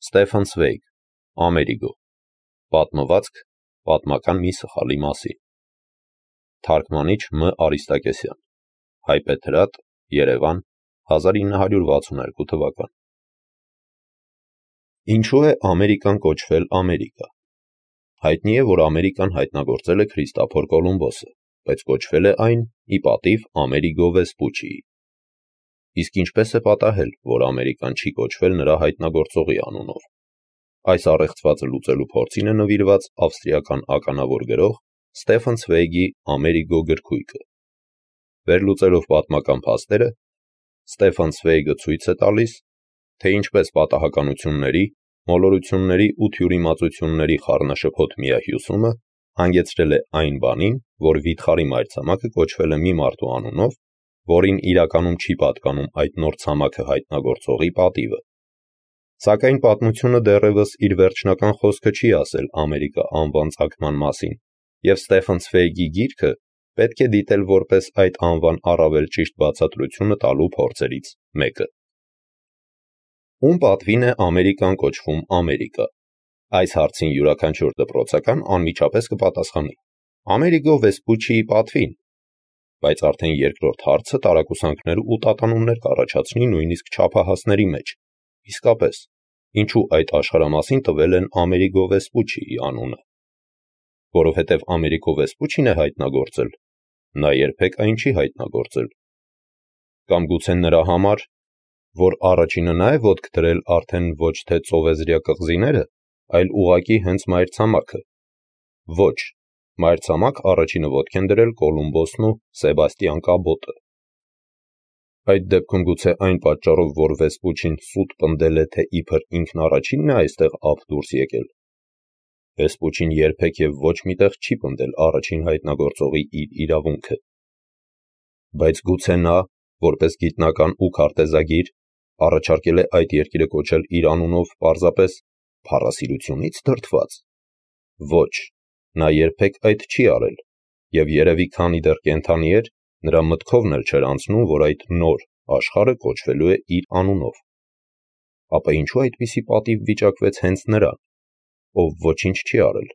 Ստեֆան Ցվեյգ, Ամերիգո, պատմվածք պատմական մի սխալի մասին, թարգմանիչ Մ. Արիստակեսյան, Հայպեթրատ, Երևան, 1962 թվական։ Ինչու է Ամերիկան կոչվել Ամերիկա։ Հայտնի է, որ Ամերիկան հայտնագործել է Քրիստոֆոր Կոլումբոսը, բայց կոչվել է այն ի պատիվ Ամերիգո Վեսպուչիի։ Իսկ ինչպես է պատահել, որ Ամերիկան չի կոչվել նրա հայտնագործողի անունով։ Այս առեղծվածը լուծելու փորձին է նվիրված ավստրիական ականավոր գրող Ստեֆան Ցվեյգի Ամերիգո գրքույկը։ Վերլուծելով պատմական փաստերը, Ստեֆան Ցվեյգը ցույց է տալիս, թե ինչպես պատահականությունների, մոլորությունների ու թյուրիմացությունների խառնաշփոթ միահյուսումը հանգեցրել է այն բանին, որ վիթխարի մայրցամաքը կոչվել է մի մարդու անունով, որին իրականում չի պատկանում այդ նոր ցամաքը հայտնագործողի պատիվը։ Սակայն պատմությունը դեռևս իր վերջնական խոսքը չի ասել Ամերիկա անվան ծագման մասին, և Ստեֆան Ցվեյգի գիրքը պետք է դիտել որպես այդ անվան առավել ճիշտ բացատրությունը տալու փորձերից մեկը։ Ում պատվին է Ամերիկան կոչվում Ամերիկա։ Այս հարցին յուրաքանչյուր դպրոցական անմիջապես կպատասխանի. Ամերիգո Վեսպուչիի պատվին, բայց արդեն երկրորդ հարցը տարակուսանքներ ու տատանումներ կառաջացնի նույնիսկ չափահասների մեջ։ Իսկապես, ինչու այդ աշխարհամասին տվել են Ամերիգո Վեսպուչիի անունը։ Որովհետև Ամերիգո Վեսպուչին է հայտնագործել, նա երբեք այն չի հայտնագործել։ Կամ գուցե նրա համար, որ առաջինը նա է ոտք դրել արդեն ոչ թե ծովեզրյա կղզիները, այլ ուղղակի հենց մայրցամաքը։ Ոչ, մայրցամաք առաջինը ոտք են դրել Կոլումբոսն ու Սեբաստիան Կաբոտը։ Այդ դեպքում գուցե այն պատճառով, որ Վեսպուչին սուտ պնդել է, թե իբր ինքն առաջինն է այստեղ ափ դուրս եկել։ Վեսպուչին երբեք և ոչ միտեղ չի պնդել առաջին հայտնագործողի իր իրավունքը։ Բայց գուցե նա, որպես գիտնական ու քարտեզագիր, առաջարկել է այդ երկիրը կոչել իր անունով պարզապես փառասիրությունից դրդված։ Ոչ, նա երբեք այդ չի արել, և երևի քանի դեռ կենդանի էր, նրա մտքովն էլ չէր անցնում, որ այդ նոր աշխարհը կոչվելու է իր անունով։ Ապա ինչու այդպիսի պատիվ վիճակվեց հենց նրան, ով ոչինչ չի արել,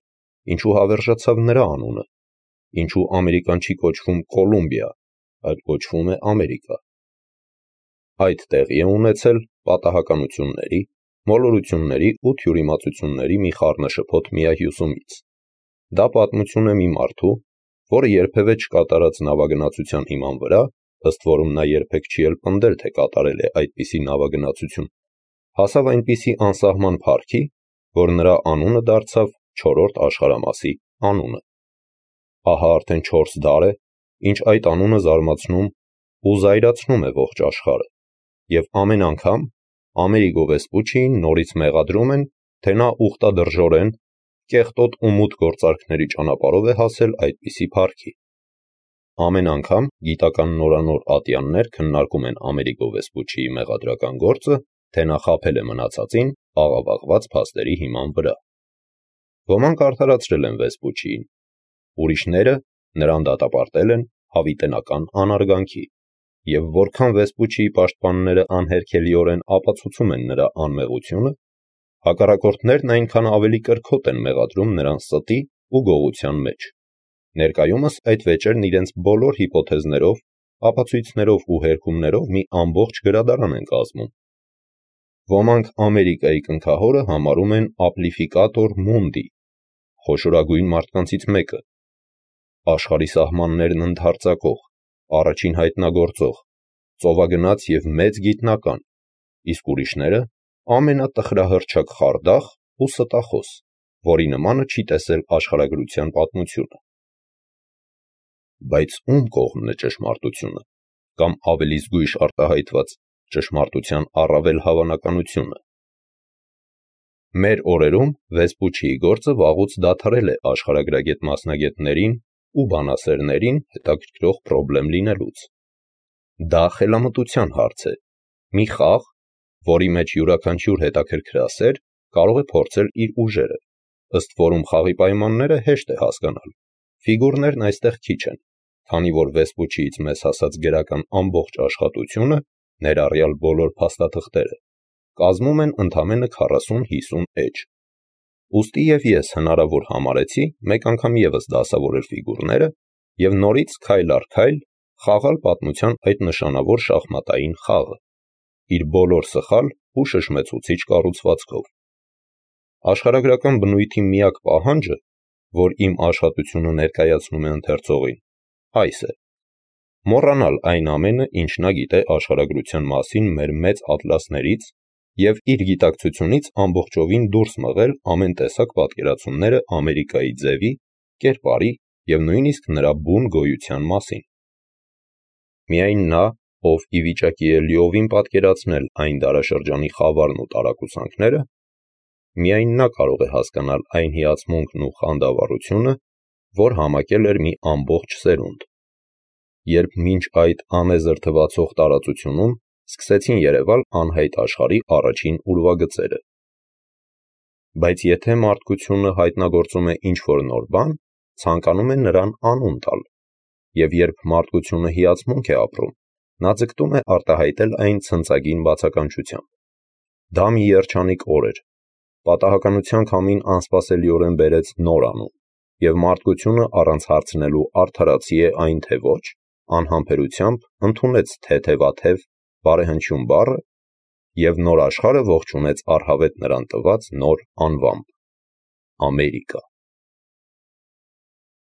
ինչու հավերժացավ նրա անունը, ինչու Ամերիկան չի կոչվում Կոլումբիա, այլ կոչվում է Ամերիկա։ Այդ տեղի է ունեցել պատահականությունների, մոլորությունների ու թյուրիմացությունների մի խառնաշփոթ միահյուսումից։ Դա պատմություն է մի մարդու, որը երբևէ չկատարած նավագնացության հիման վրա, ըստ որում նա երբեք չի էլ պնդել, թե կատարել է այդպիսի նավագնացություն, հասավ այնպիսի անսահման փառքի, որ նրա անունը դարձավ չորրորդ աշխարհամասի անունը։ Ահա արդեն 4 դար է, ինչ այդ անունը զարմացնում ու զայրացնում է ողջ աշխարհը, և ամեն անգամ Ամերիգո Վեսպուչիին նորից մեղադրում են, թե նա ուխտադրժորեն, կեղտոտ ու մութ գործարքների ճանապարհով է հասել այդպիսի փառքի։ Ամեն անգամ գիտական նորանոր ատյաններ քննարկում են Ամերիգո Վեսպուչիի մեղադրական գործը, թե նա խաբել է մնացածին աղավաղված փաստերի հիման վրա։ Ոմանք արդարացրել են Վեսպուչիին, ուրիշները նրան դատապարտել են հավիտենական անարգանքի, և որքան Վեսպուչիի պաշտպանները անհերքելիորեն ապացուցում են նրա անմեղությունը, հակառակորդներն այնքան ավելի կրքոտ են մեղադրում նրան ստի ու գողության մեջ։ Ներկայումս այդ վեճերն իրենց բոլոր հիպոթեզներով, ապացույցներով ու հերքումներով մի ամբողջ գրադարան են կազմում։ Ոմանք Ամերիկայի կնքահորը համարում են Ամպլիֆիկատոր Մունդի, խոշորագույն մարդկանցից մեկը, աշխարհի սահմաններն ընդհարձակող, առաջին հայտնագործող, ծովագնաց և մեծ գիտնական, իսկ ուրիշները ամենատխրահռչակ խարդախ ու ստախոս, որի նմանը չի տեսել աշխարհագրության պատմությունը։ Բայց ում կողմն է ճշմարտությունը, կամ ավելի զգույշ արտահայտված ճշմարտության առավել հավանականությունը։ Մեր օրերում Վեսպուչիի գործը վաղուց դադարել է աշխարհագրագետ մասնագետներին ու բանասերներին հետաքրքրող պրոբլեմ լինելուց։ Դա խելամտության հարց է, մի խաղ, որի մեջ յուրաքանչյուր հետաքրքրասեր կարող է փորձել իր ուժերը, ըստ որում խաղի պայմանները հեշտ է հասկանալ։ Ֆիգուրներն այստեղ քիչ են, քանի որ Վեսպուչիից մեզ հասած գրական ամբողջ աշխատությունը, ներառյալ բոլոր փաստաթղթերը, կազմում են ընդամենը 40-50 էջ։ Ուստի և ես հնարավոր համարեցի մեկ անգամ ևս դասավորել ֆիգուրները և նորից քայլ առ քայլ խաղալ պատմության այդ նշանավոր շախմատային խաղը, իր բոլոր սխալ ու շշմեցուցիչ կառուցվածքով։ Աշխարհագրական բնույթի միակ պահանջը, որ իմ աշխատությունը ներկայացնում է ընթերցողին, այս է. մոռանալ այն ամենը, ինչ նա գիտե աշխարհագրության մասին մեր մեծ ատլասներից և իր գիտակցությունից ամբողջովին դուրս մղել ամեն տեսակ պատկերացումները Ամերիկայի ձևի, կերպարի և նույնիսկ նրա բուն գոյության մասին։ Միայն նա, ով ի վիճակի է լիովին պատկերացնել այն դարաշրջանի խավարն ու տարակուսանքները, միայն նա կարող է հասկանալ այն հիացմունքն ու խանդավառությունը, որ համակել էր մի ամբողջ սերունդ, երբ մինչ այդ անեզր թվացող տարածությունում սկսեցին երևալ անհայտ աշխարհի առաջին ուրվագծերը։ Բայց եթե մարդկությունը հայտնագործում է ինչ-որ նոր բան, ցանկանում է նրան անուն տալ, և երբ մարդկությունը հիացմունք է ապրում, նա ձգտում է արտահայտել այն ցնցագին բացականչությամբ։ Դա մի երջանիկ օր էր, պատահականության քամին անսպասելիորեն բերեց նոր անուն, և մարդկությունը առանց հարցնելու արդարացի է այն թե ոչ, անհամբերությամբ ընդունեց թեթևաթև բարեհնչյուն բառը և նոր աշխարհը ողջունեց առհավետ նրան տված նոր անվամբ՝ Ամերիկա։